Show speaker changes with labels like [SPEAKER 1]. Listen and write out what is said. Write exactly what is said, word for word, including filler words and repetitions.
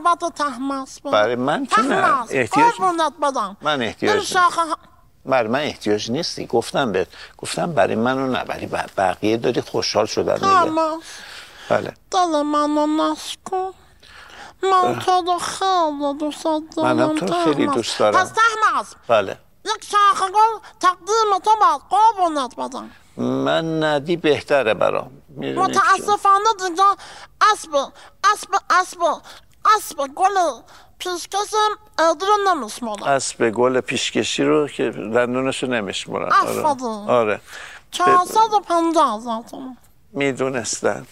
[SPEAKER 1] محبت تحمس
[SPEAKER 2] برای من که نه
[SPEAKER 1] احتیاج بدم.
[SPEAKER 2] من احتیاج بر من احتیاج نیستی. گفتم بهت، گفتم برای منو نه، برای بقیه داری خوشحال شدن دیگه. بله
[SPEAKER 1] دل منو نسکن، من تو رو خیلی دوست دارم.
[SPEAKER 2] منم تو رو خیلی دوست دارم.
[SPEAKER 1] پس تحمس
[SPEAKER 2] بله
[SPEAKER 1] یک شاخه گل تقدیم تو باید قربونت بدم.
[SPEAKER 2] من ندی بهتره برام.
[SPEAKER 1] متاسفانه دیگه اسب اسب اسب اسب گل پیشکش ادی رو نمیشمارم.
[SPEAKER 2] اسب گل پیشکشی رو که دندونشو نمیشمارم.
[SPEAKER 1] آفرین.
[SPEAKER 2] آره
[SPEAKER 1] چهارصد و پنجاه هزار تومان.
[SPEAKER 2] میدونستم.